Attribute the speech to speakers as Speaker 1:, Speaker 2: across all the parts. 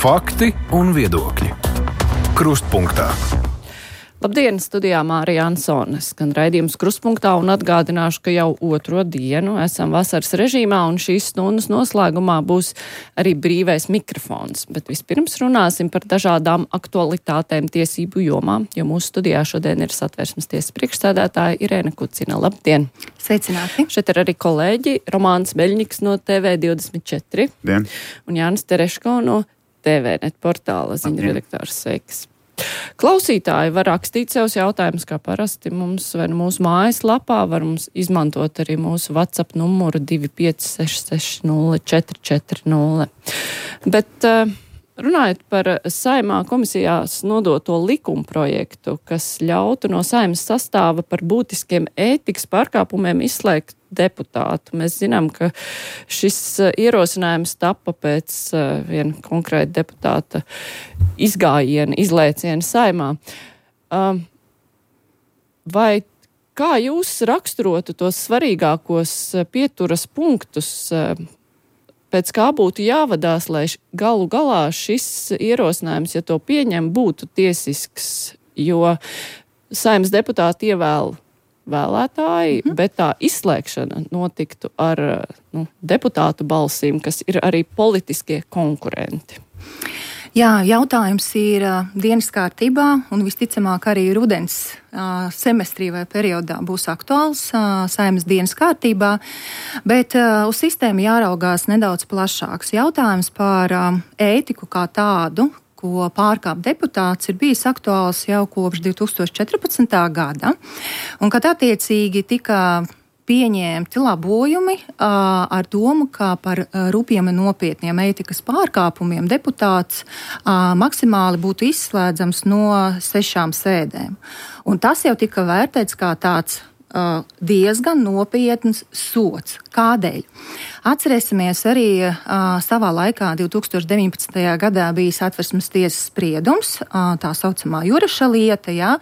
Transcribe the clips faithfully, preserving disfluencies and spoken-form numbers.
Speaker 1: Fakti un viedokļi. Krustpunktā.
Speaker 2: Labdien, studijā Mārija Ansone, skan raidījums Krustpunktā un atgādināšu, ka jau otro dienu esam vasaras režīmā un šīs stundas noslēgumā būs arī brīvais mikrofons. Bet vispirms runāsim par dažādām aktualitātēm tiesību jomā, jo mūsu studijā šodien ir Satversmes tiesas priekšsēdētāja Irēna Kucina. Labdien!
Speaker 3: Sveicināti!
Speaker 2: Šeit ir arī kolēģi Romāns Beļņiks no T V divdesmit četri
Speaker 4: Dien.
Speaker 2: Un Jānis Tereško no T V net portāla ziņu redaktors. Sveiks! Klausītāji var rakstīt savus jautājumus, kā parasti mums vai mūsu mājaslapā, var mums izmantot arī mūsu WhatsApp numuru divi pieci seši seši nulle četri četri nulle. Bet runājot par Saeimā komisijās nodoto likumprojektu, kas ļautu no Saeimas sastāva par būtiskiem ētikas pārkāpumiem izslēgt deputātu. Mēs zinām, ka šis ierosinājums tapa pēc viena konkrēta deputāta izgājiena, izlēciena Saeimā. Vai kā jūs raksturotu tos svarīgākos pieturas punktus, pēc kā būtu jāvadās, lai galu galā šis ierosinājums, ja to pieņem, būtu tiesisks, jo Saeimas deputāti ievēl vēlētāji, mm-hmm. bet tā izslēgšana notiktu ar nu, deputātu balsīm, kas ir arī politiskie konkurenti.
Speaker 3: Jā, jautājums ir uh, dienas kārtībā un visticamāk arī rudens uh, semestrī vai periodā būs aktuāls uh, Saeimas dienas kārtībā, bet uh, uz sistēmu jāraugās nedaudz plašāks. Jautājums par uh, ētiku kā tādu, ko pārkāp deputāts, ir bijis aktuāls jau kopš divi tūkstoši četrpadsmitā gada, un kad attiecīgi tika pieņemti labojumi uh, ar domu, ka par uh, rupjiem un nopietniem ētikas pārkāpumiem deputāts uh, maksimāli būtu izslēdzams no sešām sēdēm. Un tas jau tika vērtēts kā tāds uh, diezgan nopietns sods. Kādēļ? Atcerēsimies arī uh, savā laikā divi tūkstoši deviņpadsmitajā gadā bija Satversmes tiesas spriedums, uh, tā saucamā Juraša lieta, jā,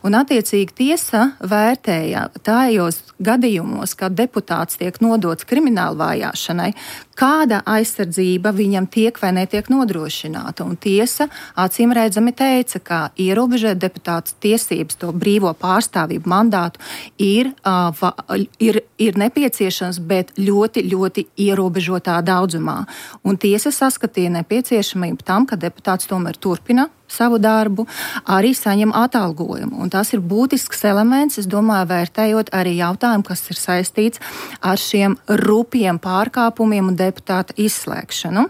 Speaker 3: un attiecīgi tiesa vērtēja tajos gadījumos, kad deputāts tiek nodots krimināla vajāšanai, kāda aizsardzība viņam tiek vai netiek nodrošināta. Un tiesa acīm redzami teica, ka ierobežot deputāts tiesības, to brīvo pārstāvību mandātu ir, uh, va, ir, ir nepieciešams, bet ļoti, ļoti ierobežotā daudzumā. Un tiesa saskatīja nepieciešamību tam, ka deputāts tomēr turpina savu darbu, arī saņem atalgojumu. Un tas ir būtisks elements, es domāju, vērtējot arī jautājumu, kas ir saistīts ar šiem rupjiem pārkāpumiem un deputāta izslēgšanu.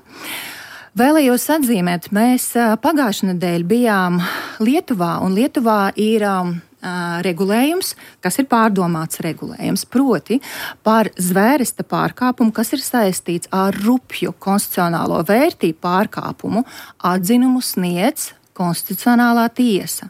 Speaker 3: Vēlējos atzīmēt, mēs pagājušajā nedēļā bijām Lietuvā, un Lietuvā ir um, regulējums, kas ir pārdomāts regulējums, proti par zvērsta pārkāpumu, kas ir saistīts ar rupju konstitucionālo vērtību pārkāpumu, atzinumu sniedz Konstitucionālā tiesa.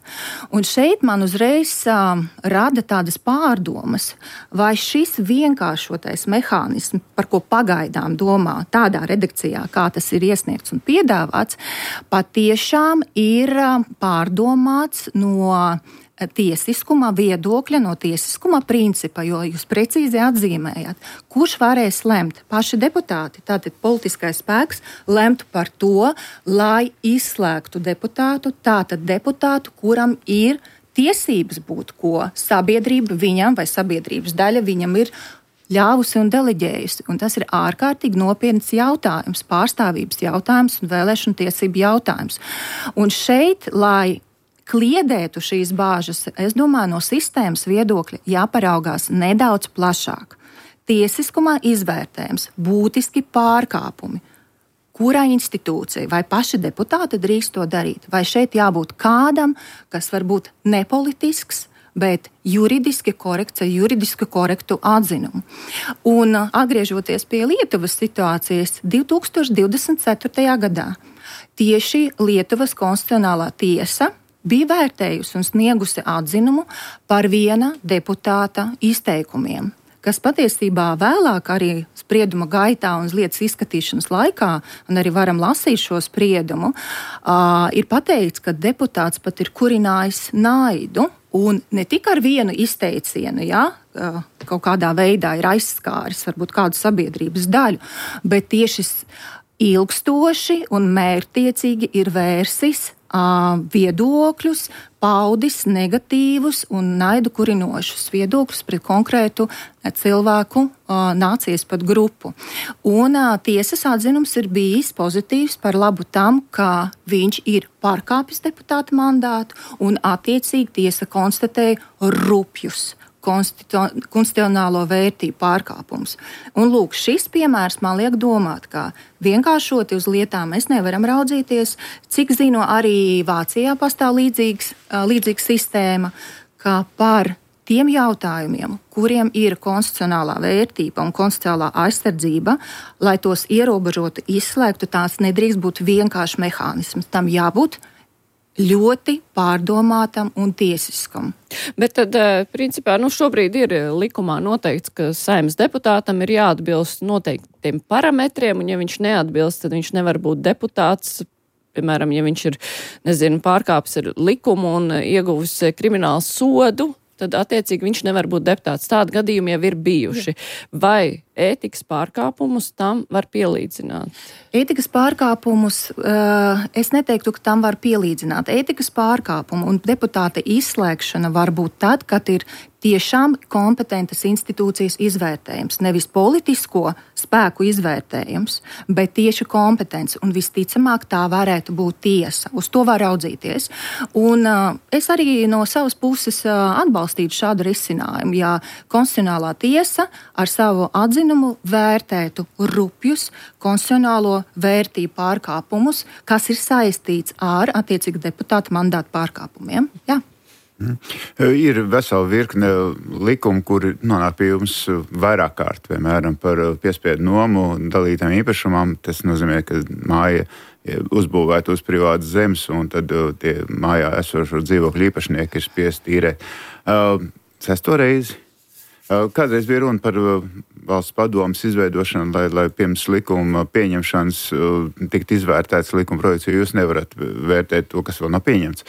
Speaker 3: Un šeit man uzreiz um, rada tādas pārdomas, vai šis vienkāršotais mehānisms, par ko pagaidām domā tādā redakcijā, kā tas ir iesniegts un piedāvāts, patiešām ir um, pārdomāts no tiesiskuma viedokļa, no tiesiskuma principa, jo jūs precīzi atzīmējat, kurš varēs lemt. Paši deputāti, tātad politiskais spēks, lemtu par to, lai izslēgtu deputātu, tātad deputātu, kuram ir tiesības būt ko sabiedrība viņam vai sabiedrības daļa viņam ir ļāvusi un deleģējusi. Un tas ir ārkārtīgi nopietns jautājums, pārstāvības jautājums un vēlēšanu tiesību jautājums. Un šeit, lai kliedētu šīs bāžas, es domāju, no sistēmas viedokļa jāparaugās nedaudz plašāk. Tiesiskumā izvērtējums, būtiski pārkāpumi. Kurā institūcija vai paši deputāti drīkst to darīt? Vai šeit jābūt kādam, kas var būt nepolitisks, bet juridiski korekts, juridiski korektu atzinumu. Un atgriežoties pie Lietuvas situācijas, divi tūkstoši divdesmit ceturtajā gadā tieši Lietuvas konstitucionālā tiesa bija vērtējusi un sniegusi atzinumu par viena deputāta izteikumiem, kas patiesībā vēlāk arī sprieduma gaitā un lietas izskatīšanas laikā, un arī varam lasīt šo spriedumu, uh, ir pateikts, ka deputāts pat ir kurinājis naidu, un ne tik ar vienu izteicienu, jā, uh, kaut kādā veidā ir aizskāris varbūt kādu sabiedrības daļu, bet tieši ilgstoši un mērķtiecīgi ir vērsis viedokļus, paudis negatīvus un naidu kurinošus viedokļus pret konkrētu cilvēku, nācijas pat grupu. Un tiesas atzinums ir bijis pozitīvs par labu tam, ka viņš ir pārkāpis deputāta mandātu un attiecīgi tiesa konstatēja rupjus konstitucionālo vērtību pārkāpums. Un lūk, šis piemērs man liek domāt, ka vienkāršoti uz lietām mēs nevaram raudzīties. Cik zinu, arī Vācijā pastāv līdzīgs, līdzīga sistēma, ka par tiem jautājumiem, kuriem ir konstitucionālā vērtība un konstitucionālā aizsardzība, lai tos ierobežotu, izslēgtu, tās nedrīkst būt vienkārši mehānisms. Tam jābūt ļoti pārdomātam un tiesiskam.
Speaker 2: Bet tad, principā, nu šobrīd ir likumā noteikts, ka Saeimas deputātam ir jāatbilst noteiktiem parametriem, un ja viņš neatbilst, tad viņš nevar būt deputāts. Piemēram, ja viņš ir, nezinu, pārkāpis ar likumu un ieguvis kriminālu sodu, tad attiecīgi viņš nevar būt deputāts. Tādi gadījumi jau ir bijuši. Vai ētikas pārkāpumus tam var pielīdzināt?
Speaker 3: Ētikas pārkāpumus uh, es neteiktu, ka tam var pielīdzināt. Ētikas pārkāpumu un deputāta izslēgšana var būt tad, kad ir tiešām kompetentas institūcijas izvērtējums. Nevis politisko spēku izvērtējums, bet tieši kompetence. Un visticamāk tā varētu būt tiesa. Uz to var raudzīties. Un uh, es arī no savas puses uh, atbalstītu šādu risinājumu. Ja konstitucionālā tiesa ar savu atzinumu vērtētu rupjus konstitucionālo vērtību pārkāpumus, kas ir saistīts ar attiecīgi deputāta mandāta pārkāpumiem. Jā.
Speaker 4: Mm. Ir vesela virkne likumu, kuri nonāk pie jums vairāk kārt, piemēram, par piespiedu nomu dalītām īpašumam. Tas nozīmē, ka māja uzbūvēta uz privātas zemes, un tad tie mājā esošo dzīvokļu īpašnieki ir spiesti īrēt. Sesto reizi. Kādreiz bija runa par valsts padomes izveidošanu, lai, lai pirms likuma pieņemšanas tikt izvērtēts likuma projekts, jo jūs nevarat vērtēt to, kas vēl nav pieņemts.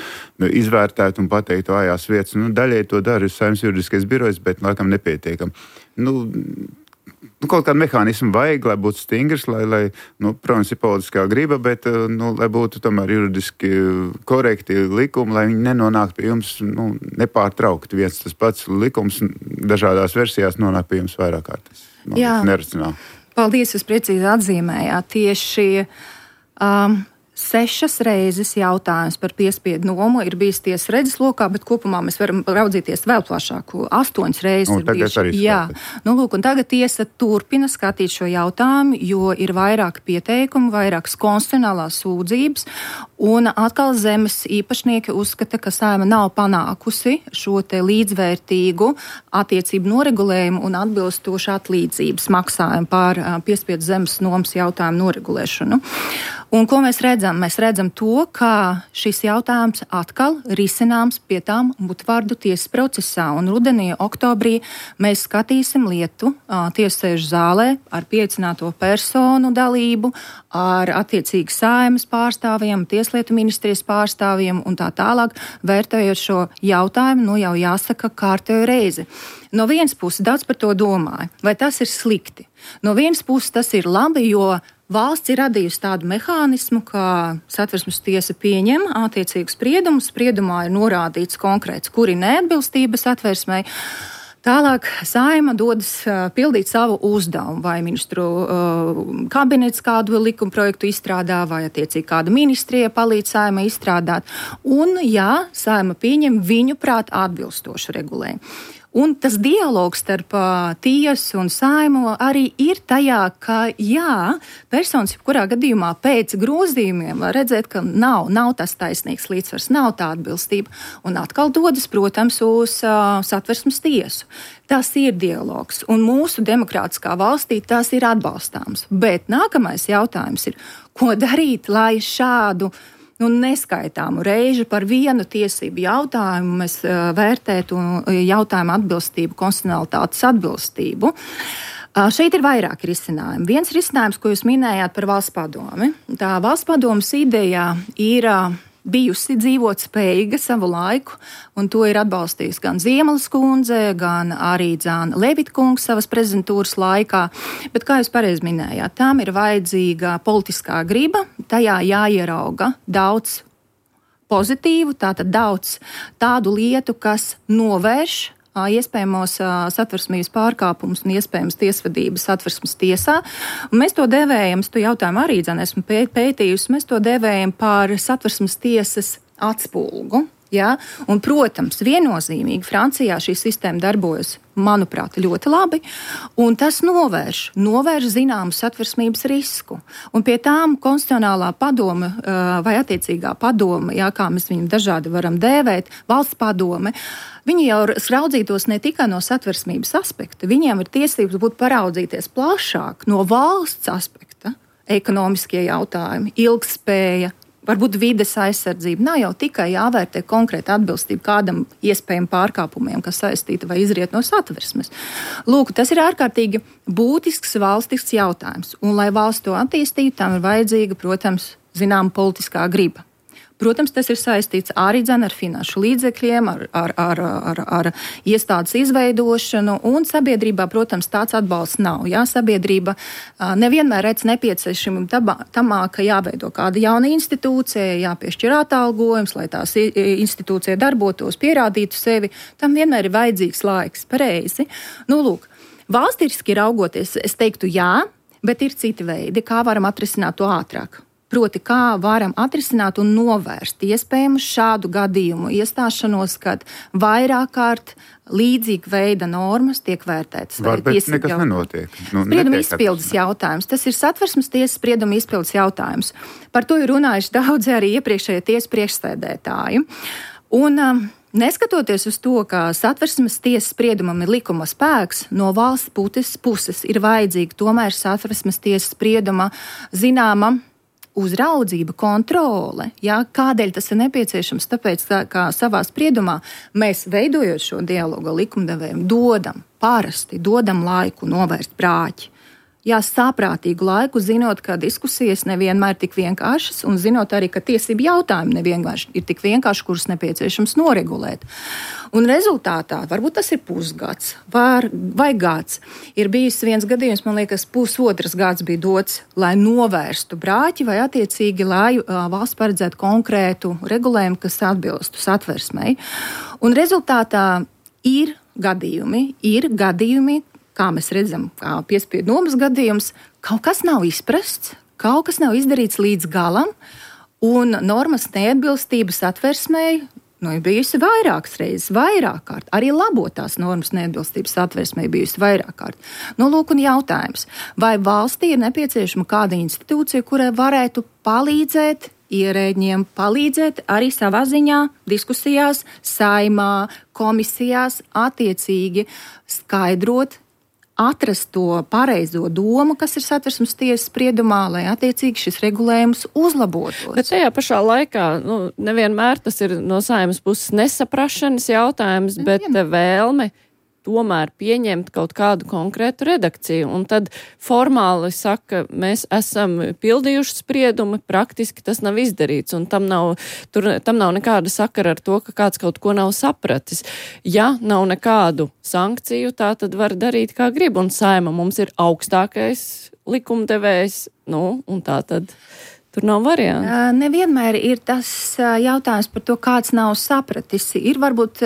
Speaker 4: Izvērtēt un pateikt vājās vietas. Nu, daļai to dara Saeimas juridiskais birojs, bet laikam nepietiekam. Nu, nu, kaut kādu mehānismu vajag, lai būtu stingrs, lai, lai nu, protams, ir politiskā griba, bet nu, lai būtu tomēr juridiski korekti likumi, lai viņi nenonāk pie jums nu, nepārtraukti. Viens tas pats likums dažādās versijās nonāk pie jums vairāk kārtas.
Speaker 3: Jā,
Speaker 4: neracionāli.
Speaker 3: Paldies, jūs precīzi atzīmējāt. Tieši um, sešas reizes jautājums par piespiedu nomu ir bijis tiesas redzeslokā, bet kopumā mēs varam raudzīties vēl plašāku. Astoņas reizes
Speaker 4: nu,
Speaker 3: ir bijuši. Jā, nu, lūk, un tagad tiesa turpina skatīt šo jautājumu, jo ir vairāk pieteikumu, vairākas konstitucionālās sūdzības, un atkal zemes īpašnieki uzskata, ka Saeima nav panākusi šo te līdzvērtīgu attiecību noregulējumu un atbilstošu atlīdzības maksājumu pār piespiedu zemes nomas jautājumu noregulēšanu. Un ko mēs redzam? Mēs redzam to, ka šis jautājums atkal risināms pie tām Butvārdu tiesas procesā. Un rudenī, oktobrī mēs skatīsim lietu tiesasēžu zālē ar pieaicināto personu dalību, ar attiecīgi Saeimas pārstāvjiem, Tieslietu ministrijas pārstāvjiem un tā tālāk, vērtējot šo jautājumu, nu jau jāsaka kārtējo reizi. No vienas puses daudz par to domāju, vai tas ir slikti. No vienas puses tas ir labi, jo valsts ir radījusi tādu mehānismu, ka Satversmes tiesa pieņem attiecīgu spriedumu. Spriedumā ir norādīts konkrēts, kuri neatbilstība Satversmei. Tālāk Saeima dodas uh, pildīt savu uzdevumu, vai ministru uh, kabinets kādu likuma projektu izstrādā, vai attiecīgi kāda ministrija palīdz Saeimai izstrādāt. Un, jā, Saeima pieņem viņu prāt atbilstošu regulējumu. Un tas dialogs starp uh, tiesu un Saeimu arī ir tajā, ka jā, personas jebkurā gadījumā pēc grozījumiem var redzēt, ka nav, nav tas taisnīgs līdzsvars, nav tā atbilstība. Un atkal dodas, protams, uz uh, Satversmes tiesu. Tas ir dialogs, un mūsu demokrātiskā valstī tas ir atbalstāms. Bet nākamais jautājums ir, ko darīt, lai šādu nu, neskaitāmu reižu par vienu tiesību jautājumu mēs uh, vērtētu jautājumu atbilstību, konstitucionalitātes atbilstību. Uh, šeit ir vairāki risinājumi. Viens risinājums, ko jūs minējāt par valsts padomi. Tā valsts padomas ideja ir uh, bijusi dzīvot spējīga savu laiku, un to ir atbalstījusi gan Ziemeles kundze, gan arī Dzāna Levitkungs savas prezidentūras laikā. Bet, kā jūs pareizi minējāt, tām ir vajadzīga politiskā griba, tajā jāierauga daudz pozitīvu, tātad daudz tādu lietu, kas novērš iespējamos satversmības pārkāpumus un iespējams tiesvedības satversmes tiesā. Un mēs to devējam, es to jautājumu arī dzene esmu pētījusi, mēs to devējam par satversmes tiesas atspulgu. Ja? Un, protams, viennozīmīgi Francijā šī sistēma darbojas, manuprāt, ļoti labi, un tas novērš, novērš zināmu satversmības risku. Un pie tām konstitucionālā padome vai attiecīgā padome, ja, kā mēs viņu dažādi varam dēvēt, valsts padome, viņi jau raudzītos ne tikai no satversmības aspekta, viņiem ir tiesības būt paraudzīties plašāk no valsts aspekta, ekonomiskie jautājumi, ilgspēja, varbūt vides aizsardzība. Nav jau tikai jāvērtē konkrēta atbilstība kādam iespējam pārkāpumiem, kas saistīta vai izriet no satversmes. Lūk, tas ir ārkārtīgi būtisks valstisks jautājums. Un, lai valsts to attīstītu, tam ir vajadzīga, protams, zināma politiskā griba. Protams, tas ir saistīts arī dzen ar finanšu līdzekļiem, ar, ar, ar, ar, ar iestādes izveidošanu, un sabiedrībā, protams, tāds atbalsts nav. Jā, sabiedrība nevienmēr redz nepieciešamību tamā, ka jāveido kāda jauna institūcija, jāpiešķir atalgojums, lai tās institūcija darbotos, pierādītu sevi. Tam vienmēr ir vajadzīgs laiks, pareizi. Nu, lūk, valstiski raugoties, es teiktu jā, bet ir citi veidi, kā varam atrisināt to ātrāk. Proti, kā varam atrisināt un novērst iespējamu šādu gadījumu iestāšanos, kad vairāk kārt līdzīga veida normas tiek vērtētas.
Speaker 4: Var, bet nekas nenotiek. Nu,
Speaker 3: sprieduma izpildes jautājums. Tas ir satversmes tiesas sprieduma izpildes jautājums. Par to ir runājuši daudzi arī iepriekšējie tiesas priekšsēdētāji. Un um, neskatoties uz to, ka satversmes tiesas spriedumam ir likuma spēks, no valsts puses, puses ir vajadzīga tomēr satversmes tiesas sprieduma zināma uzraudzība, kontrole. Jā, kādēļ tas ir nepieciešams? Tāpēc, tā, kā savā spriedumā mēs, veidojot šo dialogu likumdevējiem, dodam, parasti dodam laiku novērst brāķi. Jā, saprātīgu laiku, zinot, ka diskusijas nevienmēr ir tik vienkāršas, un zinot arī, ka tiesību jautājumi nevienkārši ir tik vienkārši, kurus nepieciešams noregulēt. Un rezultātā, varbūt tas ir pusgads var, vai gads, ir bijis viens gadījums, man liekas, pusotras gads bija dots, lai novērstu brāķi vai attiecīgi, lai uh, valsts paredzētu konkrētu regulējumu, kas atbilstu satversmei. Un rezultātā ir gadījumi, ir gadījumi, kā mēs redzam, kā piespiedu nomas gadījums, kaut kas nav izprasts, kaut kas nav izdarīts līdz galam, un normas neatbilstības satversmei nu, ir bijusi vairākas reizes, vairāk kārt. Arī labotās normas neatbilstības satversmei bijusi vairāk kārt. Nu, lūk, un jautājums, vai valstī ir nepieciešama kāda institūcija, kurai varētu palīdzēt ierēģiem, palīdzēt arī savā ziņā diskusijās, saimā, komisijās, attiecīgi skaidrot, atrast to pareizo domu, kas ir satversmes tiesas spriedumā, lai attiecīgi šis regulējums uzlabotos.
Speaker 2: Bet tajā pašā laikā, nu, nevienmēr tas ir no Saeimas puses nesaprašanas jautājums, bet vēlme tomēr pieņemt kaut kādu konkrētu redakciju. Un tad formāli saka, mēs esam pildījuši spriedumu, praktiski tas nav izdarīts, un tam nav, tur, tam nav nekāda sakara ar to, ka kāds kaut ko nav sapratis. Ja nav nekādu sankciju, tā tad var darīt kā grib, un Saeima mums ir augstākais likumdevējs, nu, un tā tad tur nav variantu.
Speaker 3: Nevienmēr ir tas jautājums par to, kāds nav sapratis. Ir varbūt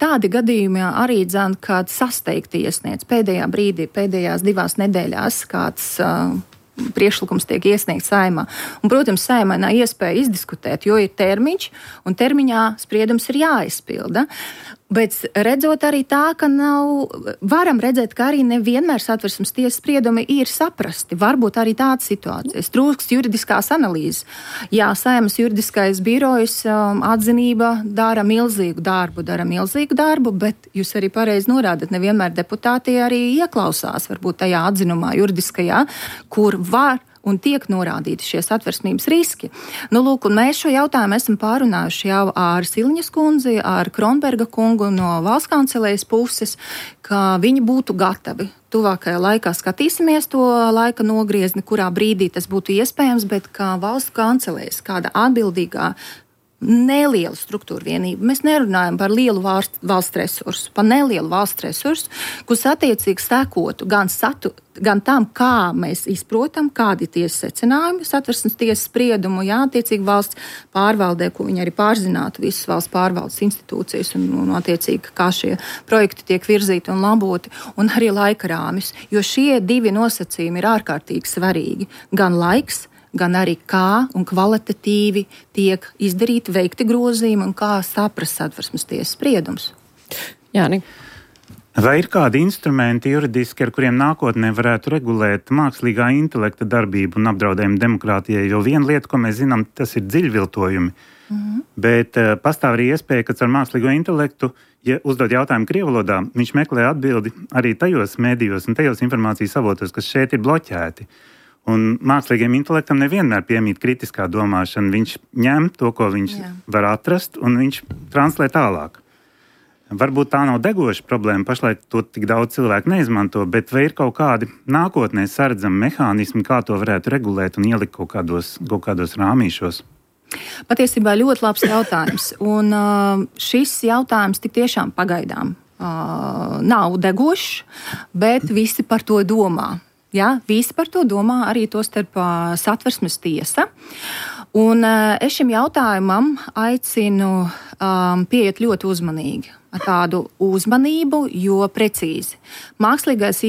Speaker 3: tādi gadījumi arī dzan, kad sasteigti iesniedz pēdējā brīdī, pēdējās divās nedēļās kāds priekšlikums tiek iesniegts Saeimā. Un, protams, Saeimai nav iespēja izdiskutēt, jo ir termiņš, un termiņā spriedums ir jāizpilda. Bet redzot arī tā, ka nav, varam redzēt, ka arī nevienmēr satversmes tiesas spriedumi ir saprasti. Varbūt arī tādas situācijas. Trūkst juridiskās analīzes. Jā, Saeimas juridiskais birojs um, atzinība dara milzīgu darbu, dara milzīgu darbu, bet jūs arī pareizi norādat, nevienmēr deputāti arī ieklausās varbūt tajā atzinumā juridiskajā, kur var un tiek norādīti šie satversmības riski. Nu, lūk, un mēs šo jautājumu esam pārunājuši jau ar Siliņas kundzi, ar Kronberga kungu no valsts kancelējas puses, ka viņi būtu gatavi. Tuvākajā laikā skatīsimies to laika nogriezni, kurā brīdī tas būtu iespējams, bet kā valsts kancelējas, kāda atbildīgā nelielu struktūru vienību. Mēs nerunājam par lielu valsts, valsts resursu, par nelielu valsts resursu, kurus attiecīgi sekotu gan, satu, gan tam, kā mēs izprotam, kādi tiesas secinājumi, Satversmes tiesas spriedumu, jā, attiecīgi valsts pārvaldē, ko viņi arī pārzinātu visas valsts pārvaldes institūcijas un, un attiecīgi, kā šie projekti tiek virzīti un laboti, un arī laika rāmis, jo šie divi nosacījumi ir ārkārtīgi svarīgi. Gan laiks, gan arī kā un kvalitatīvi tiek izdarīti, veikti grozījumi un kā saprast Satversmes tiesas spriedums.
Speaker 2: Jāni.
Speaker 5: Vai ir kādi instrumenti juridiski, ar kuriem nākotnē varētu regulēt mākslīgā intelekta darbību un apdraudējumu demokrātijai? Jo viena lieta, ko mēs zinām, tas ir dziļviltojumi, mm-hmm. bet uh, pastāv arī iespēja, ka ar mākslīgo intelektu, ja uzdod jautājumu krievalodā, viņš meklē atbildi arī tajos mēdījos un tajos informācijas avotos, kas šeit ir bloķēti. Un mākslīgiem intelektam nevienmēr piemīt kritiskā domāšana. Viņš ņem to, ko viņš Jā. var atrast, un viņš translē tālāk. Varbūt tā nav degoša problēma, pašlaik to tik daudz cilvēku neizmanto, bet vai ir kaut kādi nākotnē saredzami mehānismi, kā to varētu regulēt un ielikt kaut kādos, kaut kādos rāmīšos?
Speaker 3: Patiesībā ļoti labs jautājums. Un uh, šis jautājums tik tiešām pagaidām uh, nav degošs, bet visi par to domā. Jā, visi par to domā, arī to starp uh, Satversmes tiesa. Un uh, es šim jautājumam aicinu um, pieiet ļoti uzmanīgi, ar tādu uzmanību, jo precīzi. Mākslīgais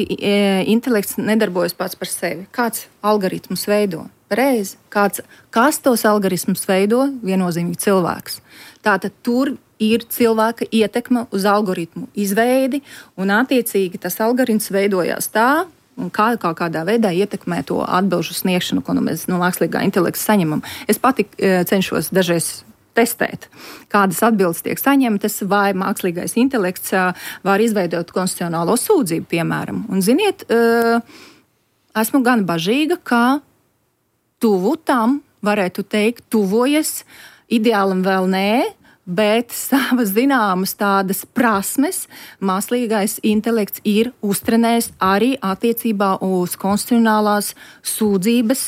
Speaker 3: intelekts nedarbojas pats par sevi. Kāds algoritmus veido? Pareizi. Kāds, kas tos algoritmus veido? Viennozīmīgi cilvēks. Tātad tur ir cilvēka ietekme uz algoritmu izveidi, un attiecīgi tas algoritms veidojās tā, un kā, kā kādā veidā ietekmē to atbilžu sniegšanu, ko nu mēs no mākslīgā intelekta saņemam. Es pati e, cenšos dažreiz testēt, kādas atbildes tiek saņemtas, vai mākslīgais intelekts e, var izveidot konstitucionālo sūdzību, piemēram. Un, ziniet, e, esmu gan bažīga, ka tuvu tam, varētu teikt, tuvojas, ideālam vēl nē, bet savas zināmas tādas prasmes mākslīgais intelekts ir uztrenējis arī attiecībā uz konstitucionālās sūdzības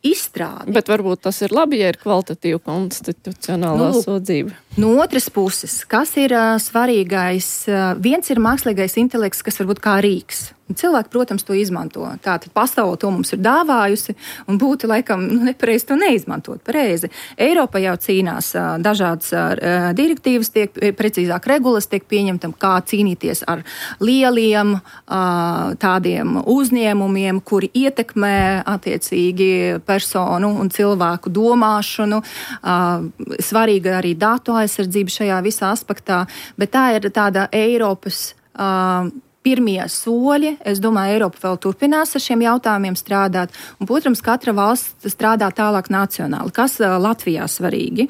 Speaker 3: izstrādi.
Speaker 2: Bet varbūt tas ir labi, ja ir kvalitatīva konstitucionālā nu, sūdzība.
Speaker 3: No otras puses, kas ir uh, svarīgais? Uh, viens ir mākslīgais intelekts, kas varbūt kā rīks. Cilvēki, protams, to izmanto. Tātad pasaule to mums ir dāvājusi un būtu laikam nu, nepareizi to neizmantot. Pareizi. Eiropa jau cīnās uh, dažādas uh, direktīvas, tiek precīzāk regulas, tiek pieņemtam, kā cīnīties ar lieliem uh, tādiem uzņēmumiem, kuri ietekmē attiecīgi personu un cilvēku domāšanu. Uh, svarīga arī datu aizsardzība šajā visā aspektā, bet tā ir tāda Eiropas uh, pirmie soļi. Es domāju, Eiropa vēl turpinās ar šiem jautājumiem strādāt. Un, protams, katra valsts strādā tālāk nacionāli. Kas uh, Latvijā svarīgi?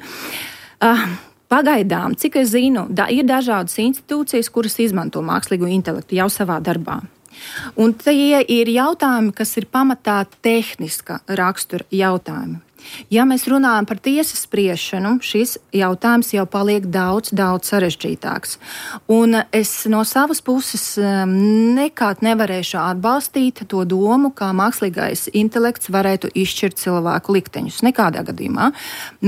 Speaker 3: Uh, pagaidām, cik es zinu, da, ir dažādas institūcijas, kuras izmanto mākslīgo intelektu jau savā darbā. Un tie ir jautājumi, kas ir pamatā tehniska rakstura jautājumi. Ja mēs runājam par tiesas spriešanu, šis jautājums jau paliek daudz, daudz sarežģītāks. Un es no savas puses nekad nevarēšu atbalstīt to domu, kā mākslīgais intelekts varētu izšķirt cilvēku likteņus. Nekādā gadījumā.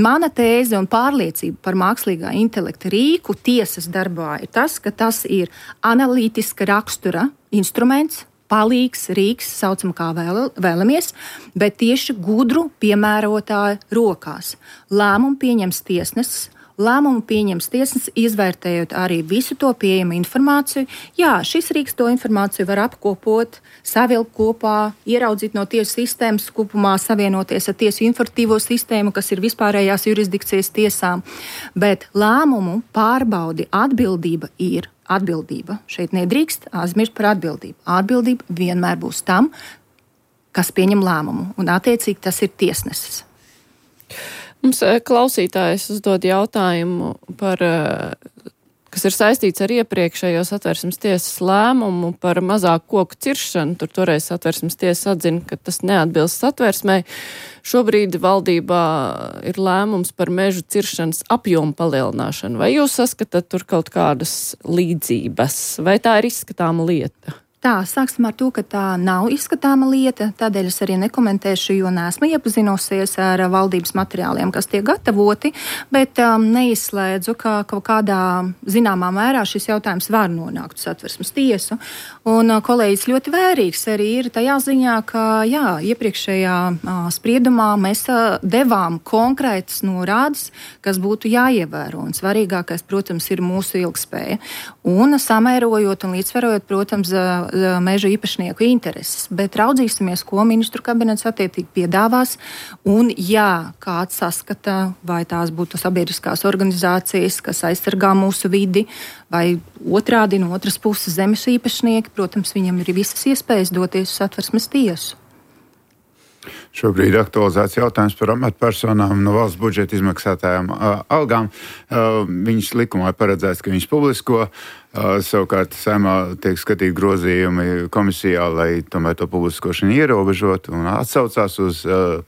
Speaker 3: Mana tēze un pārliecība par mākslīgā intelekta rīku tiesas darbā ir tas, ka tas ir analītiska rakstura instruments, palīgs, rīks, saucam kā vēl, vēlamies, bet tieši gudru piemērotāju rokās. Lēmumu pieņems tiesnesis, lēmumu pieņems tiesnesis, izvērtējot arī visu to pieejamu informāciju. Jā, šis rīks to informāciju var apkopot, savilkt kopā, ieraudzīt no tiesu sistēmas kopumā, savienoties ar tiesu informatīvo sistēmu, kas ir vispārējās jurisdikcijas tiesām, bet lēmumu pārbaudi atbildība ir atbildība. Šeit nedrīkst aizmirst par atbildību. Atbildība vienmēr būs tam, kas pieņem lēmumu, un attiecīgi tas ir tiesnesis.
Speaker 2: Mums klausītājs uzdod jautājumu par, kas ir saistīts ar iepriekšējo Satversmes tiesas lēmumu par mazāku koku ciršanu. Tur toreiz Satversmes tiesa atzina, ka tas neatbilst Satversmei. Šobrīd valdībā ir lēmums par mežu ciršanas apjomu palielināšanu. Vai jūs saskatāt tur kaut kādas līdzības? Vai tā ir izskatāma lieta?
Speaker 3: Tā, sāksim ar to, ka tā nav izskatāma lieta, tādēļ es arī nekomentēšu, jo neesmu iepazinusies ar valdības materiāliem, kas tiek gatavoti, bet um, neizslēdzu, ka kaut kādā zināmā mērā šis jautājums var nonākt uz Satversmes tiesu. Un uh, kolēģis ļoti vērīgs arī ir tajā ziņā, ka jā, iepriekšējā uh, spriedumā mēs uh, devām konkrētas norādes, kas būtu jāievēro. Un svarīgākais, protams, ir mūsu ilgspēja. Un samērojot un līdzsvarojot, protams, uh, meža īpašnieku intereses, bet raudzīsimies, ko ministru kabinets attiecīgi piedāvās, un ja kāds saskata, vai tās būtu sabiedriskās organizācijas, kas aizsargā mūsu vidi, vai otrādi no otras puses zemes īpašnieki, protams, viņam ir visas iespējas doties uz Satversmes tiesu.
Speaker 4: Šobrīd aktualizēts jautājums par amatpersonām no valsts budžeta izmaksātājām uh, algām. Uh, viņas likumā ir paredzēts, ka viņas publisko. Uh, savukārt Saeimā tiek skatīt grozījumi komisijā, lai tomēr to publiskošanu ierobežot un atsaucās uz uh,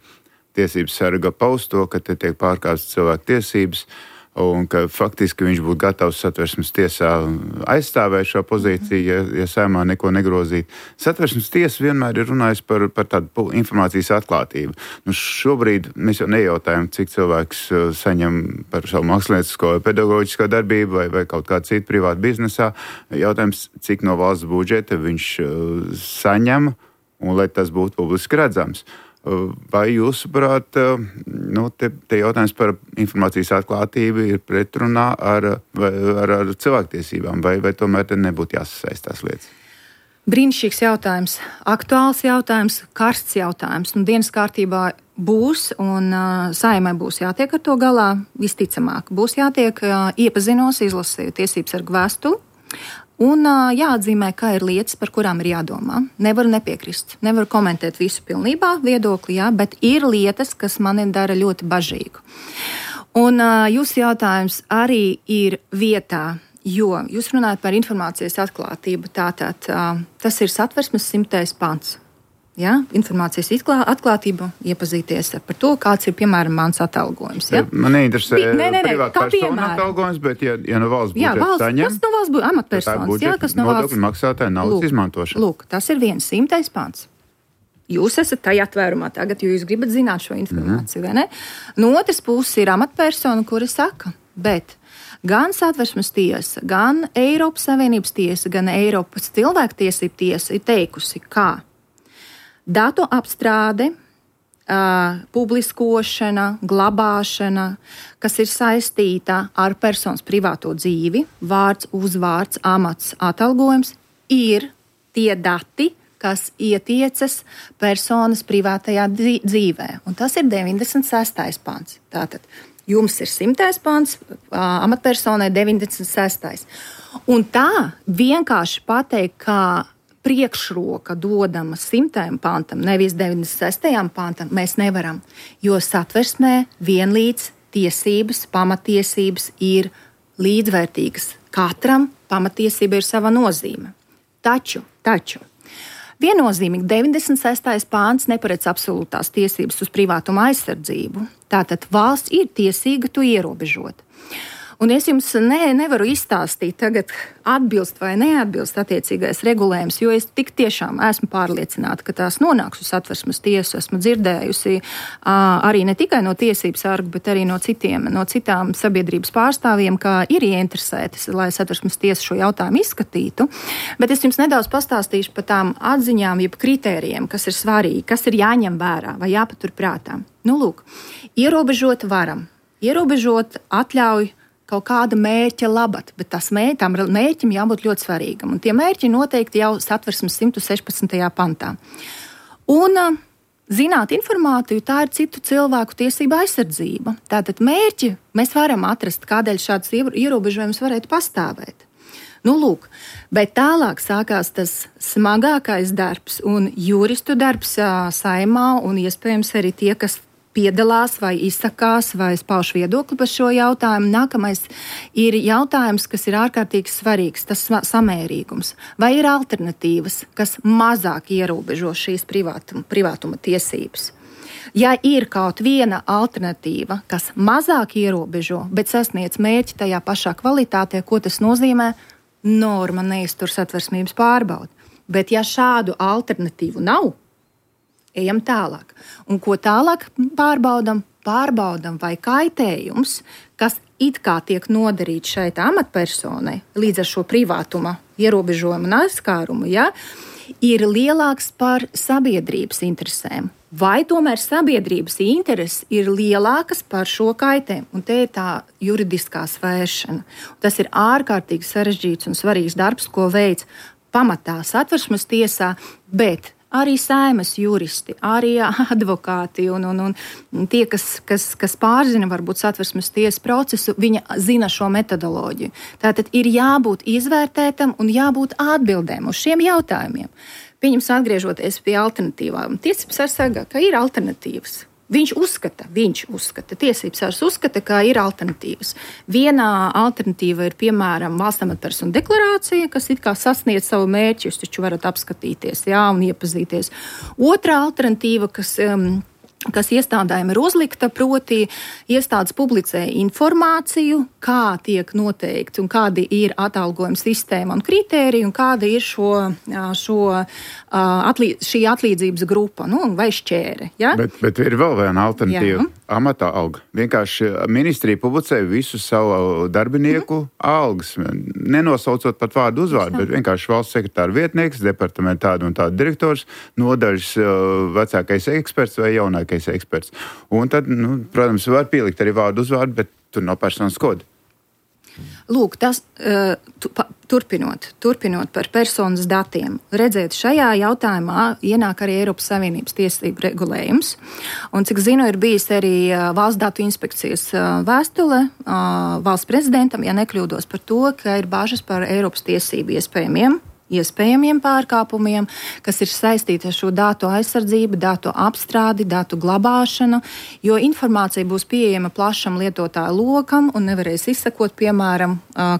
Speaker 4: tiesības sarga pausto, ka te tiek pārkāptas cilvēku tiesības. Un ka faktiski viņš būtu gatavs Satversmes tiesā aizstāvēt šo pozīciju, ja, ja Saeimā neko negrozīt. Satversmes tiesa vienmēr ir runājis par, par tādu informācijas atklātību. Nu, šobrīd mēs jau nejautājam, cik cilvēks saņem par savu māksliniecisko vai pedagoģisko darbību vai, vai kaut kādu citu privātu biznesā. Jautājums, cik no valsts budžeta viņš saņem un lai tas būtu publiski redzams. Vai jūsuprāt, nu, te, te jautājums par informācijas atklātību ir pretrunā ar, ar, ar cilvēktiesībām, vai, vai tomēr te nebūtu jāsasaistās lietas?
Speaker 3: Brīnišķīgs jautājums, aktuāls jautājums, karsts jautājums. Nu, dienas kārtībā būs, un uh, Saeimai būs jātiek ar to galā, visticamāk. Būs jātiek uh, iepazinos, izlasīju tiesības sargu vēstuli. Un uh, jāatzīmē, ka ir lietas, par kurām ir jādomā. Nevaru nepiekrist, nevaru komentēt visu pilnībā viedokli, jā, bet ir lietas, kas mani dara ļoti bažīgu. Un uh, jūsu jautājums arī ir vietā, jo jūs runājat par informācijas atklātību. Tātad uh, tas ir Satversmes simtais pants. Ja? Informācijas atklātība, iepazīties par to, kāds ir, piemēram, mans atalgojums. Ja?
Speaker 4: Man neinteresē
Speaker 3: nē, nē, nē,
Speaker 4: privāta persona atalgojums, bet ja, ja no valsts budžeta
Speaker 3: jā, valsts,
Speaker 4: saņem,
Speaker 3: kas no valsts budžeta amatpersonas, jā, kas no valsts
Speaker 4: nodokļu maksātāja naudas
Speaker 3: lūk,
Speaker 4: izmantošana.
Speaker 3: Lūk, tas ir viens simtais pants. Jūs esat tajā atvērumā tagad, jo jūs gribat zināt šo informāciju, mm. vai ne? No otras puses ir amatpersona, kuri saka, bet gan Satversmes tiesa, gan Eiropas Savienības tiesa, gan Eiropas cilvēktiesību tiesa ir teikusi, kā datu apstrāde, uh, publiskošana, glabāšana, kas ir saistīta ar personas privāto dzīvi, vārds, uzvārds, amats, atalgojums, ir tie dati, kas ietiecas personas privātajā dzīvē. Un tas ir deviņdesmit sestais pants. Tātad jums ir simtais pants, uh, amatpersonai deviņdesmit sestais. Un tā vienkārši pateikt, kā priekšroka dodama simtajam pantam, nevis deviņdesmit sestajam pantam, mēs nevaram, jo Satversmē vienlīdz tiesības, pamatiesības ir līdzvērtīgas. Katram pamatiesība ir sava nozīme. Taču, taču, viennozīmīgi deviņdesmit sestais pants neparedz absolūtās tiesības uz privātuma aizsardzību. Tātad valsts ir tiesīga to ierobežot. Un es jums ne, nevaru izstāstīt tagad atbilst vai neatbilst attiecīgais regulējums, jo es tik tiešām esmu pārliecināta, ka tās nonāks uz Satversmes tiesu. Esmu dzirdējusi uh, arī ne tikai no tiesības sarga, bet arī no citiem, no citām sabiedrības pārstāvjiem, ka ir ieinteresēti, lai Satversmes tiesa šo jautājumu izskatītu. Bet es jums nedaudz pastāstīšu par tām atziņām, jeb kritērijiem, kas ir svarīgi, kas ir jāņem vērā vai jāpatur prātā. Nu, lūk, ierobežot varam, ierobežot atļauj kaut kāda mērķa labad, bet tas mērķi, tam mērķim jābūt ļoti svarīgam. Un tie mērķi noteikti jau Satversmes simt sešpadsmitajā pantā. Un zināt informāciju, tā ir citu cilvēku tiesība aizsardzība. Tātad mērķi mēs varam atrast, kādēļ šāds ierobežojums varētu pastāvēt. Nu, lūk, bet tālāk sākās tas smagākais darbs un juristu darbs Saeimā un iespējams arī tie, kas piedalās vai izsakās vai pauž viedokli par šo jautājumu. Nākamais ir jautājums, kas ir ārkārtīgi svarīgs, tas samērīgums. Vai ir alternatīvas, kas mazāk ierobežo šīs privātuma, privātuma tiesības? Ja ir kaut viena alternatīva, kas mazāk ierobežo, bet sasniedz mērķi tajā pašā kvalitātē, ko tas nozīmē, norma neiztur satversmības pārbaudi. Bet ja šādu alternatīvu nav, ejam tālāk. Un ko tālāk pārbaudam? Pārbaudam, vai kaitējums, kas it kā tiek nodarīts šeit amatpersonai, līdz ar šo privātuma ierobežojumu un aizskārumu, ja, ir lielāks par sabiedrības interesēm. Vai tomēr sabiedrības intereses ir lielākas par šo kaitējumu? Un te ir tā juridiskā svēršana. Tas ir ārkārtīgi sarežģīts un svarīgs darbs, ko veic pamatā Satversmes tiesā, bet arī Saeimas juristi, arī advokāti un, un, un tie, kas, kas, kas pārzina varbūt Satversmes tiesas procesu, viņi zina šo metodoloģiju. Tātad ir jābūt izvērtētam un jābūt atbildēm uz šiem jautājumiem. Pieņems atgriežoties pie alternatīvām. Tiesības sarga, ka ir alternatīvas. Viņš uzskata, viņš uzskata, tiesības sargs uzskata, ka ir alternatīvas. Vienā alternatīva ir, piemēram, valsts amatpersonu deklarācija, kas it kā sasniedz savu mērķi, jūs taču varat apskatīties, jā, un iepazīties. Otrā alternatīva, kas... Um, kas iestādēm ir uzlikta, proti iestādes publicē informāciju, kā tiek noteikti un kādi ir atalgojuma sistēma un kritēriji un kāda ir šo, šo, atlī, šī atlīdzības grupa, nu, vai šķēre. Ja?
Speaker 4: Bet, bet ir vēl viena alternatīva. Amatā alga. Vienkārši ministrija publicē visu savu darbinieku mm. algas, nenosaucot pat vārdu uzvārdu, bet vienkārši valsts sekretāra vietnieks, departamenta tāda un tāda direktors, nodaļas vecākais eksperts vai jaunākais eksperts. Un tad, nu, protams, var pielikt arī vārdu uzvārdu, bet tur nav personas koda.
Speaker 3: Lūk, tas tu, pa, turpinot, turpinot par personas datiem. Redziet, šajā jautājumā ienāk arī Eiropas Savienības tiesību regulējums. Un, cik zinu, ir bijis arī Valsts datu inspekcijas vēstule valsts prezidentam, ja nekļūdos par to, ka ir bažas par Eiropas tiesību iespējamiem iespējamiem pārkāpumiem, kas ir saistīti ar šo datu aizsardzību, datu apstrādi, datu glabāšanu, jo informācija būs pieejama plašam lietotāju lokam un nevarēs izsekot, piemēram,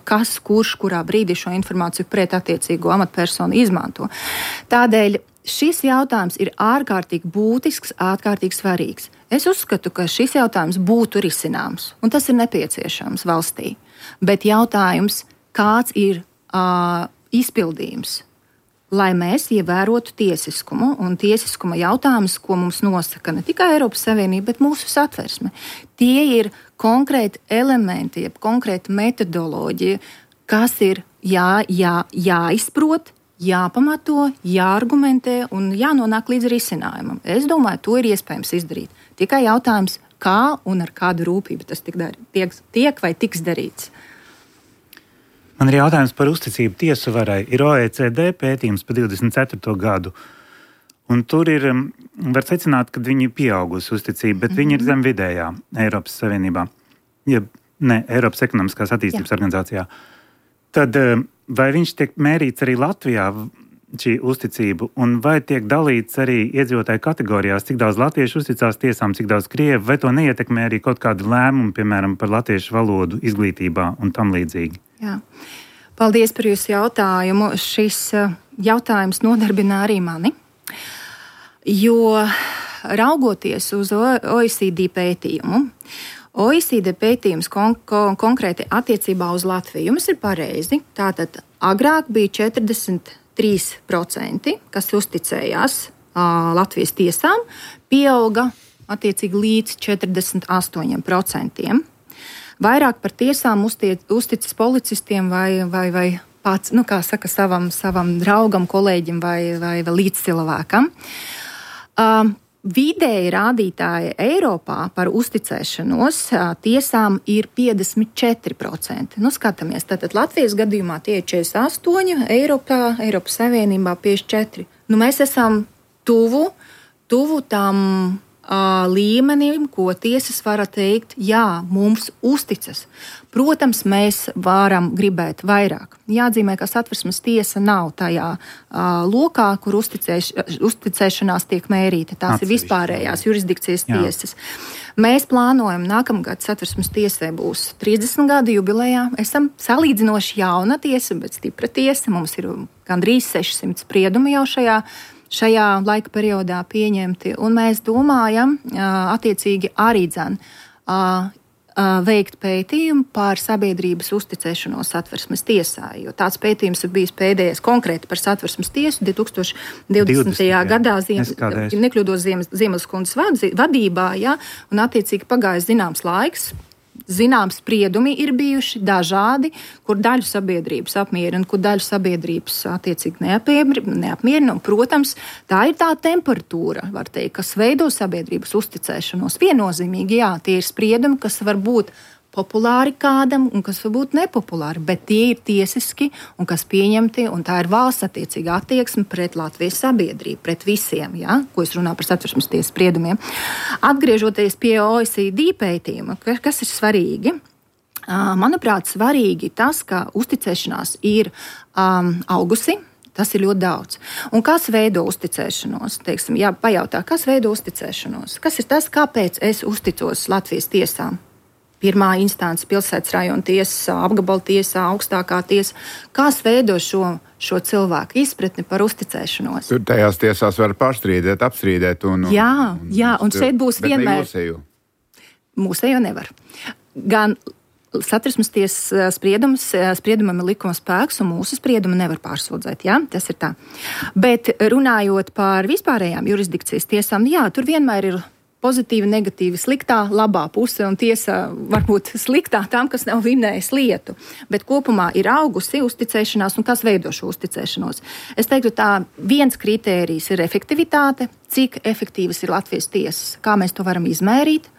Speaker 3: kas, kurš, kurā brīdī šo informāciju pret attiecīgo amatpersonu izmanto. Tādēļ šis jautājums ir ārkārtīgi būtisks, ārkārtīgi svarīgs. Es uzskatu, ka šis jautājums būtu risināms, un tas ir nepieciešams valstī. Bet jautājums, kāds ir uh, izpildījums, lai mēs ievērotu tiesiskumu un tiesiskuma jautājumus, ko mums nosaka ne tikai Eiropas Savienība, bet mūsu Satversme. Tie ir konkrēti elementi, jeb konkrēta metodoloģija, kas ir jā, jā, jāizprot, jāpamato, jāargumentē un jānonāk līdz risinājumam. Es domāju, to ir iespējams izdarīt. Tikai jautājums, kā un ar kādu rūpību tas tiek, tiek, tiek vai tiks darīts.
Speaker 5: Man ir jautājums par uzticību tiesu varai. Ir O E C D pētījums par divdesmit ceturto gadu, un tur ir, var secināt, ka viņi ir pieaugusi uzticība, bet mm-hmm. viņi ir zem vidējā Eiropas Savienībā, ja ne, Eiropas ekonomiskās attīstības Jā. Organizācijā. Tad vai viņš tiek mērīts arī Latvijā, šī uzticība, un vai tiek dalīts arī iedzīvotāju kategorijās, cik daudz latviešu uzticās tiesām, cik daudz krievu, vai to neietekmē arī kaut kādu lēmumu, piemēram, par latviešu valodu izglītībā un tam līdzīgi?
Speaker 3: Jā. Paldies par jūsu jautājumu. Šis jautājums nodarbina arī mani, jo raugoties uz O E C D pētījumu, O E C D pētījums kon- kon- konkrēti attiecībā uz Latviju jums ir pareizi. Tātad agrāk bija četrdesmit trīs procenti, kas uzticējās uh, Latvijas tiesām, pieauga attiecīgi līdz četrdesmit astoņiem procentiem. Vairāk par tiesām uztiec, uzticas policistiem vai, vai, vai pats, nu, kā saka, savam, savam draugam, kolēģim vai, vai, vai līdzcilvēkam. Uh, vidēji rādītāji Eiropā par uzticēšanos uh, tiesām ir piecdesmit četri procenti. Nu, skatāmies, tātad Latvijas gadījumā tie ir četrdesmit astoņi, Eiropā, Eiropas Savienībā piecdesmit četri. Nu, mēs esam tuvu, tuvu tam līmenim, ko tiesas var teikt, jā, mums uzticas. Protams, mēs varam gribēt vairāk. Jāatzīmē, ka Satversmes tiesa nav tajā uh, lokā, kur uzticēš, uzticēšanās tiek mērīta. Tās Atsevišķi. Ir vispārējās jurisdikcijas jā. Tiesas. Mēs plānojam, nākamgad Satversmes tiesai būs trīsdesmit gadu jubilejā. Esam salīdzinoši jauna tiesa, bet stipra tiesa. Mums ir gandrīz sešsimt spriedumi jau šajā šajā laika periodā pieņemti, un mēs domājam, attiecīgi arī dzen, veikt pētījumu par sabiedrības uzticēšanos Satversmes tiesā, jo tāds pētījums ir bijis pēdējais konkrēti par Satversmes tiesu divtūkstoš divdesmitajā gadā, ziem, nekļūdos Ziemelskundzes vadībā, ja, un attiecīgi pagājis zināms laiks. Zināms spriedumi ir bijuši dažādi, kur daļu sabiedrības apmierina, kur daļu sabiedrības attiecīgi neapmierina. Un, protams, tā ir tā temperatūra, var teikt, kas veido sabiedrības uzticēšanos. Viennozīmīgi, jā, tie ir spriedumi, kas var būt populāri kādam un kas var būt nepopulāri, bet tie ir tiesiski un kas pieņemti, un tā ir valsts attiecīga attieksme pret Latvijas sabiedrību, pret visiem, ja, ko es runāju par Satversmes tiesas spriedumiem. Atgriežoties pie O E C D pētījuma, kas ir svarīgi, manuprāt, svarīgi tas, ka uzticēšanās ir um, augusi. Tas ir ļoti daudz. Un kas veido uzticēšanos? Teiksim, jā, pajautā, kas veido uzticēšanos? Kas ir tas, kāpēc es uzticos Latvijas tiesām? Pirmā instance, pilsētas rajona tiesa, apgabala tiesa, augstākā tiesa. Kas veido šo, šo cilvēku izpratni par uzticēšanos?
Speaker 4: Tur tajās tiesās var pārstrīdēt, apstrīdēt. Un, un,
Speaker 3: jā,
Speaker 4: un,
Speaker 3: jā, un šeit būs vienmēr.
Speaker 4: Mūsējo.
Speaker 3: Mūsējo nevar. Gan Satversmes tiesas spriedums, spriedumam ir likuma spēks, un mūsu spriedumu nevar pārsūdzēt. Jā, tas ir tā. Bet runājot par vispārējām jurisdikcijas tiesām, jā, tur vienmēr ir pozitīvi, negatīvi, sliktā, labā puse, un tiesa varbūt sliktā tām, kas nav vinnējis lietu. Bet kopumā ir augusi uzticēšanās, un kas veido šo uzticēšanos. Es teiktu, tā viens kritērijs ir efektivitāte, cik efektīvas ir Latvijas tiesas, kā mēs to varam izmērīt.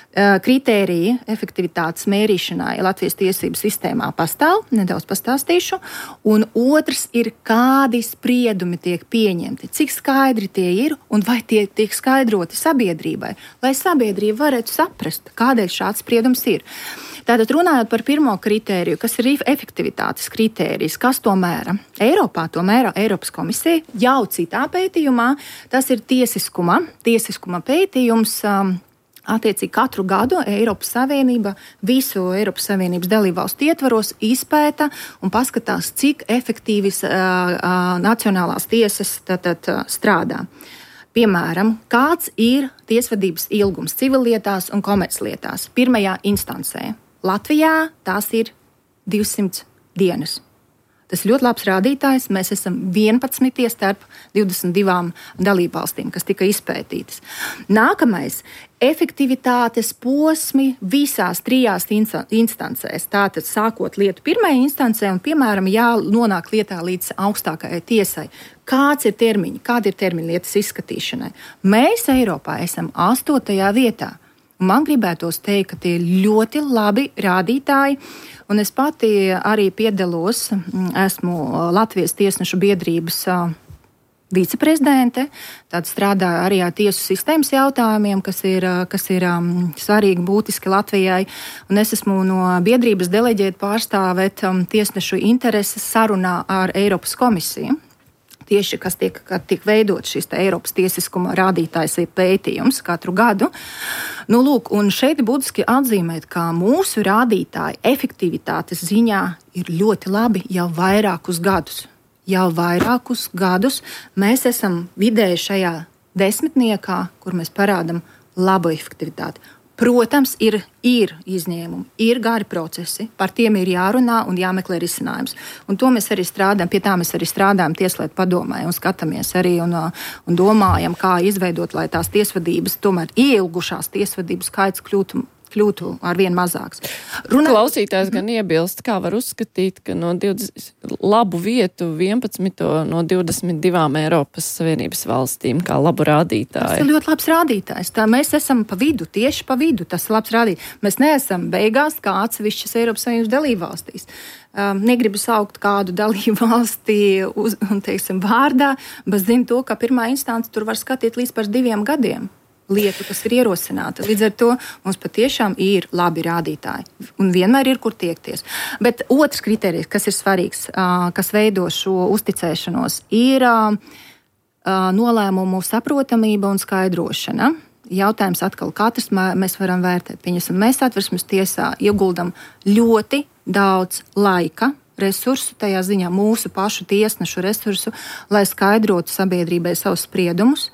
Speaker 3: Kritēriji efektivitātes mērīšanai Latvijas tiesību sistēmā pastāv, nedaudz pastāstīšu, un otrs ir, kādi spriedumi tiek pieņemti, cik skaidri tie ir un vai tie tiek skaidroti sabiedrībai, lai sabiedrība varētu saprast, kādēļ šāds spriedums ir. Tātad runājot par pirmo kritēriju, kas ir efektivitātes kritērijs, kas to mēra? Eiropā to mēra Eiropas komisija jau citā pētījumā, tas ir tiesiskuma, tiesiskuma pētījums. Attiecīgi katru gadu Eiropas Savienība visu Eiropas Savienības dalībvalstu ietvaros izpēta un paskatās, cik efektīvas uh, uh, nacionālās tiesas tad, tad, uh, strādā. Piemēram, kāds ir tiesvedības ilgums civillietās un komerclietās pirmajā instancē. Latvijā tās ir divsimt dienas. Tas ir ļoti labs rādītājs. Mēs esam vienpadsmitie starp divdesmit divām dalībvalstīm, kas tika izpētītas. Nākamais - efektivitātes posmi visās trijās instancēs. Tātad sākot lietu pirmajā instancē un, piemēram, jānonāk lietā līdz augstākajai tiesai. Kāds ir termiņi? Kāda ir termiņa lietas izskatīšanai? Mēs Eiropā esam astotajā vietā. Man gribētos teikt, ka tie ir ļoti labi rādītāji. Un es pati arī piedalos, esmu Latvijas tiesnešu biedrības viceprezidente, tad strādāju arī ar tiesu sistēmas jautājumiem, kas ir, kas ir um, svarīgi, būtiski Latvijai. Un es esmu no biedrības deleģēta pārstāvēt um, tiesnešu intereses sarunā ar Eiropas komisiju. Tieši, kas tiek, tiek veidot šis Eiropas tiesiskuma rādītājs pētījums katru gadu. Nu, lūk, un šeit būtiski atzīmēt, ka mūsu rādītāji efektivitātes ziņā ir ļoti labi jau vairākus gadus. Jau vairākus gadus mēs esam vidēji šajā desmitniekā, kur mēs parādam labu efektivitāti. Protams, ir, ir izņēmumi, ir gari procesi, par tiem ir jārunā un jāmeklē risinājums. Un to mēs arī strādājam, pie tā mēs arī strādājam Tieslietu padomē un skatāmies arī un, un domājam, kā izveidot, lai tās tiesvedības, tomēr ielgušās tiesvedības skaits kļūtu, kļūtu arvien mazāks.
Speaker 2: Runā... Klausītājs gan iebilst, kā var uzskatīt, ka no divdesmit labu vietu vienpadsmit no divdesmit divām Eiropas Savienības valstīm kā labu rādītāju.
Speaker 3: Tas ir ļoti labs rādītājs. Tā mēs esam pa vidu, tieši pa vidu. Tas ir labs rādītājs. Mēs neesam beigās kā atsevišķas Eiropas Savienības dalībvalstīs. Um, negribu saukt kādu dalību valstī uz, un, teiksim, vārdā, bet zinu to, ka pirmā instance tur var skatīt līdz par diviem gadiem. Lietu, kas ir ierosināta. Līdz ar to mums patiešām ir labi rādītāji un vienmēr ir, kur tiekties. Bet otrs kriterijs, kas ir svarīgs, kas veido šo uzticēšanos, ir nolēmumu saprotamība un skaidrošana. Jautājums atkal, katrs mēs varam vērtēt. Pieņemsim, mēs Satversmes tiesā ieguldam ļoti daudz laika, resursu, tajā ziņā mūsu pašu tiesnešu resursu, lai skaidrotu sabiedrībai savus spriedumus,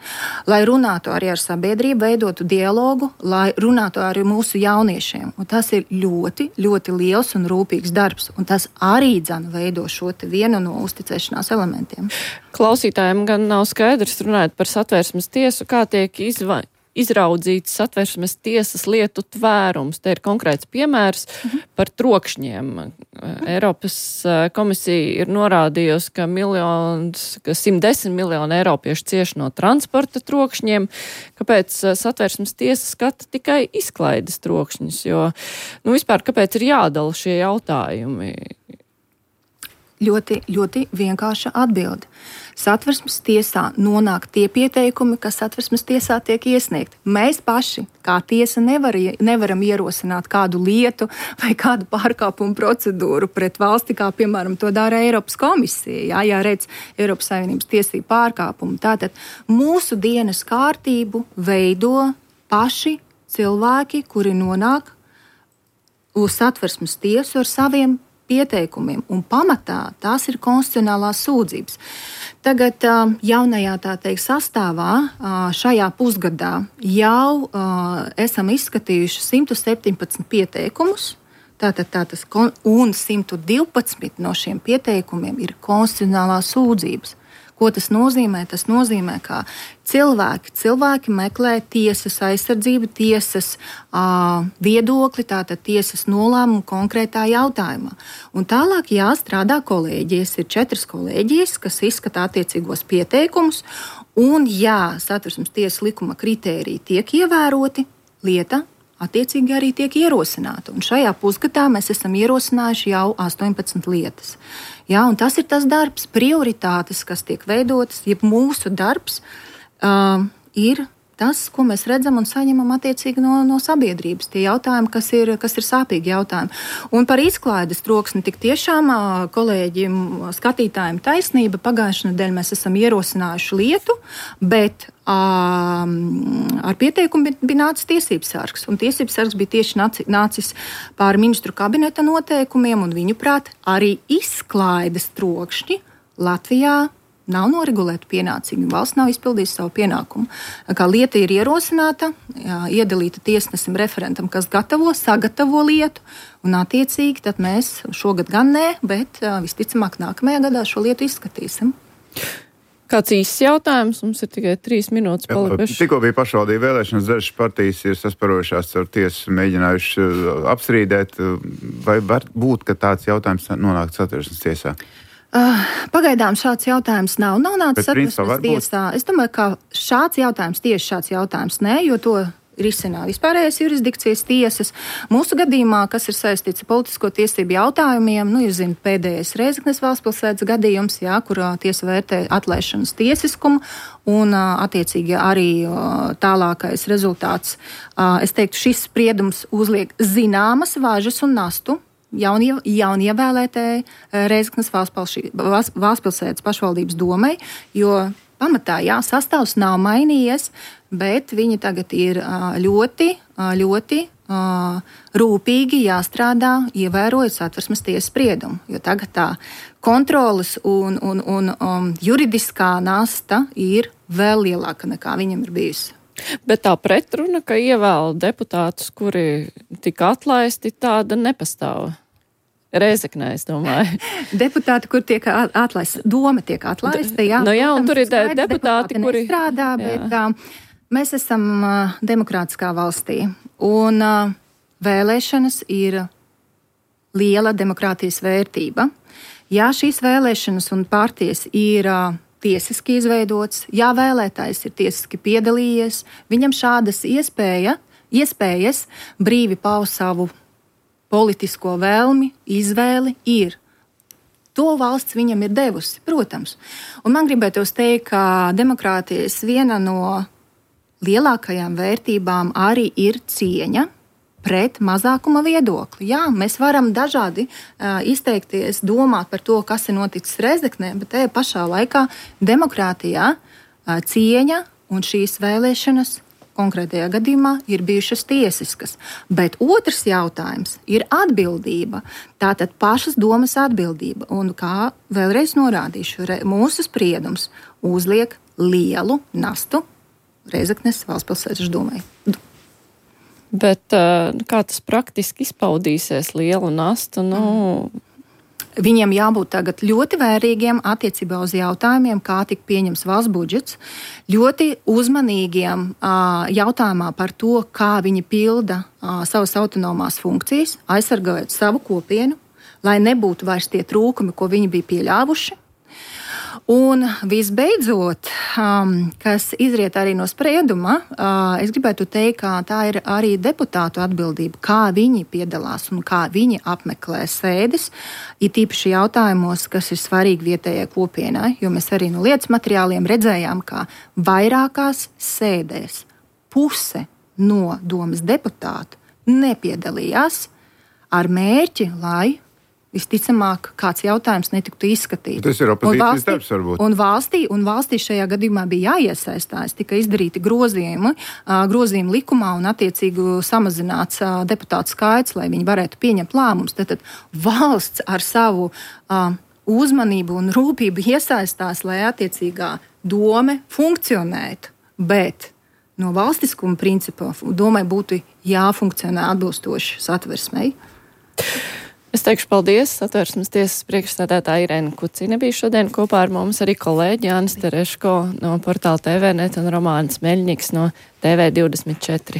Speaker 3: lai runātu arī ar sabiedrību, veidotu dialogu, lai runātu arī mūsu jauniešiem. Un tas ir ļoti, ļoti liels un rūpīgs darbs, un tas arī dzan veido šo te vienu no uzticēšanās elementiem.
Speaker 2: Klausītājiem gan nav skaidrs, runājot par Satversmes tiesu, kā tiek izva... izraudzīts Satversmes tiesas lietu tvērums. Te ir konkrēts piemērs mm-hmm. par trokšņiem. Mm-hmm. Eiropas komisija ir norādījusi, ka, miljons, ka simt desmit miljoni eiropiešu cieši no transporta trokšņiem. Kāpēc Satversmes tiesa skata tikai izklaides trokšņus? Jo, nu, vispār, kāpēc ir jādala šie jautājumi?
Speaker 3: Ļoti, ļoti vienkārša atbilde. Satversmes tiesā nonāk tie pieteikumi, kas Satversmes tiesā tiek iesniegti. Mēs paši, kā tiesa, nevar, nevaram ierosināt kādu lietu vai kādu pārkāpumu procedūru pret valsti, kā, piemēram, to dara Eiropas komisija, jā, ja redz Eiropas Savienības tiesību pārkāpumu. Tātad mūsu dienas kārtību veido paši cilvēki, kuri nonāk uz Satversmes tiesu ar saviem pieteikumiem, un pamatā tās ir konstitucionālās sūdzības. Tagad jaunajā, tā teikt, sastāvā šajā pusgadā jau esam izskatījuši simt septiņpadsmit pieteikumus, tātad tātas, un simt divpadsmit no šiem pieteikumiem ir konstitucionālās sūdzības. Ko tas nozīmē? Tas nozīmē, ka cilvēki, cilvēki meklē tiesas aizsardzību, tiesas uh, viedokli, tātad tiesas nolēmumu konkrētā jautājumā. Un tālāk jāstrādā kolēģijas. Ir četras kolēģijas, kas izskata attiecīgos pieteikumus, un ja Satversmes tiesas likuma kritēriji tiek ievēroti, lieta attiecīgi arī tiek ierosināta. Un šajā pusgadā mēs esam ierosinājuši jau astoņpadsmit lietas. Jā, un tas ir tas darbs, prioritātes, kas tiek veidotas, jeb mūsu darbs uh, ir tas, ko mēs redzam un saņemam attiecīgi no, no sabiedrības. Tie jautājumi, kas ir, kas ir sāpīgi jautājumi. Un par izklaides troksni tik tiešām kolēģiem, skatītājiem taisnība. Pagājušajā nedēļā mēs esam ierosinājuši lietu, bet um, ar pieteikumu bija nācis tiesības sargs. Un tiesības sargs bija tieši nāci, nācis pār ministru kabineta noteikumiem, un viņuprāt arī izklaides trokšņi Latvijā nav noregulēta pienācīgi. Valsts nav izpildījusi savu pienākumu. Kā lieta ir ierosināta, jā, iedalīta tiesnesim referentam, kas gatavo, sagatavo lietu, un attiecīgi tad mēs šogad gan nē, bet visticamāk nākamajā gadā šo lietu izskatīsim.
Speaker 2: Kāds īsts jautājums? Mums ir tikai trīs minūtes palikušas.
Speaker 4: Tikko bija pašvaldība vēlēšanas, dažas partijas ir sasparojušās ar tiesu, mēģinājuši apstrīdēt. Vai var būt, ka tāds jautājums nonāk Satversmes tiesā?
Speaker 3: Uh, pagaidām šāds jautājums nav. Nav nācis Satversmes tiesā. Es domāju, ka šāds jautājums, tieši šāds jautājums nē, jo to risinā vispārējais jurisdikcijas tiesas. Mūsu gadījumā, kas ir saistīts ar politisko tiesību jautājumiem, nu, ir, zin, pēdējais Rēzeknes valstspilsētas gadījums, jā, kur tiesa vērtē atlaišanas tiesiskumu, un attiecīgi arī tālākais rezultāts. Es teiktu, šis spriedums uzliek zināmas važas un nastu Jaunie, jaunievēlētēji Rēzeknes valstspilsētas pašvaldības domai, jo pamatā, jā, sastāvs nav mainījies, bet viņi tagad ir ļoti, ļoti rūpīgi jāstrādā, ievērojot Satversmes tiesas spriedumu, jo tagad tā kontroles un, un, un um, juridiskā nasta ir vēl lielāka nekā viņam ir bijusi.
Speaker 2: Bet tā pretruna, ka ievēl deputātus, kuri tika atlaisti, tāda nepastāv. Rēzeknē, es domāju.
Speaker 3: Deputāti, kur tiek atlaisti, doma tiek atlaista, jā.
Speaker 2: No jā, un tur ir
Speaker 3: skaidrs,
Speaker 2: deputāti, kuri
Speaker 3: nestrādā, bet uh, mēs esam uh, demokrātiskā valstī, un uh, vēlēšanas ir liela demokrātijas vērtība. Jā, šīs vēlēšanas un partijas ir uh, tiesiski izveidots, jā, vēlētājs ir tiesiski piedalījies, viņam šādas iespēja, iespējas brīvi paust savu politisko vēlmi, izvēli ir. To valsts viņam ir devusi, protams. Un man gribētos teikt, ka demokrātijas viena no lielākajām vērtībām arī ir cieņa pret mazākuma viedokli. Jā, mēs varam dažādi uh, izteikties, domāt par to, kas ir noticis Rēzeknē, bet tajā pašā laikā demokrātijā uh, cieņa un šīs vēlēšanas konkrētajā gadījumā ir bijušas tiesiskas. Bet otrs jautājums ir atbildība. Tātad pašas domas atbildība. Un kā vēlreiz norādīšu, mūsu spriedums uzliek lielu nastu Reizeknes valstspilsētas domai.
Speaker 2: Bet kā tas praktiski izpaudīsies, lielu nastu? Nu... Mm.
Speaker 3: Viņiem jābūt tagad ļoti vērīgiem attiecībā uz jautājumiem, kā tika pieņems valsts budžets, ļoti uzmanīgiem jautājumā par to, kā viņi pilda savas autonomās funkcijas, aizsargājot savu kopienu, lai nebūtu vairs tie trūkumi, ko viņi bija pieļāvuši. Un visbeidzot, um, kas izriet arī no sprieduma, uh, es gribētu teikt, ka tā ir arī deputātu atbildība, kā viņi piedalās un kā viņi apmeklē sēdes, it īpaši jautājumos, kas ir svarīgi vietējai kopienai, jo mēs arī no lietas materiāliem redzējām, ka vairākās sēdēs puse no domas deputātu nepiedalījās ar mērķi, lai visticamāk, kāds jautājums netiktu izskatīts.
Speaker 4: Tas ir opozīcijas darbs, varbūt.
Speaker 3: Un valstī, un valstī šajā gadījumā bija jāiesaistās, tika izdarīti grozījumi, grozījumi likumā un attiecīgi samazināts deputātu skaits, lai viņi varētu pieņemt lēmumus. Tātad valsts ar savu uh, uzmanību un rūpību iesaistās, lai attiecīgā dome funkcionētu, bet no valstiskuma principa domai būtu jāfunkcionē atbilstoši satversmei.
Speaker 2: Es teikšu paldies. Satversmes tiesas priekšsēdētāja Irēna Kucina bija šodien kopā ar mums, arī kolēģi Jānis Tereško no portāla T V net un Romāns Meļņiks no T V divdesmit četri.